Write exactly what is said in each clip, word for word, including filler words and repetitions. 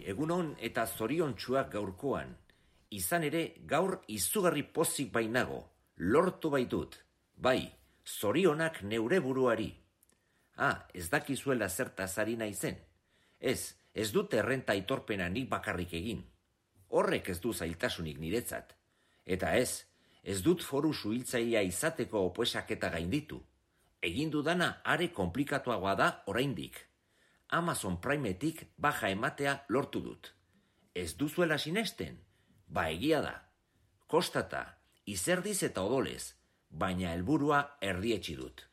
Egunon eta zoriontsuak gaurkoan. Izan ere, gaur izugarri pozik bainago. Lortu baitut. Bai, zorionak neure buruari. Ah, ez dakizuela zertaz ari naizen. Ez, ez dut errenta aitorpena nik bakarrik egin. Horrek ez du zailtasunik niretzat. Eta ez, ez dut foru suhiltzailea izateko opoesaketa gainditu. Egin dudana are komplikatuagoa da oraindik. Amazon Primetik baja ematea lortu dut. Ez duzuela sinesten? Ba egia da. Kostata, izerdiz eta odolez, baina helburua erdietsi dut.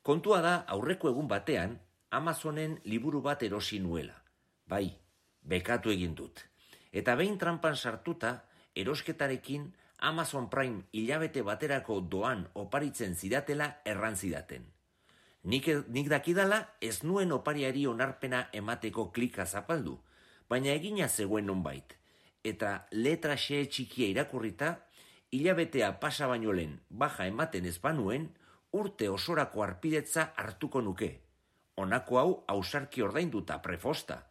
Kontua da aurreko egun batean Amazonen liburu bat erosi nuela. Bai, bekatu egin dut. Eta behin trampan sartuta, erosketarekin Amazon Prime hilabete baterako doan oparitzen zidatela erran zidaten. Nik, nik dakidala ez nuen opariari onarpena emateko klika zapaldu, baina egina zegoen nonbait. Eta letra xe txikia irakurrita, hilabetea pasa baino lehen baja ematen ez banuen, urte osorako arpidetza hartuko nuke. Honako hau ausarki ordainduta prefosta.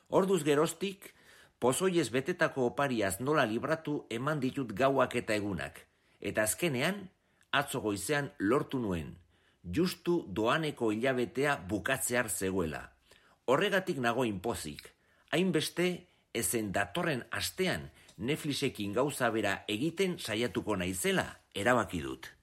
Orduz geroztik, pozoiez betetako opariaz nola libratu eman ditut gauak eta egunak. Eta azkenean, atzo goizean lortu nuen. Justu doaneko hilabetea bukatzear zegoela. Horregatik nago inpozik. Hainbeste, ezen datorren astean Netflixekin gauza bera egiten saiatuko naizela erabaki dut.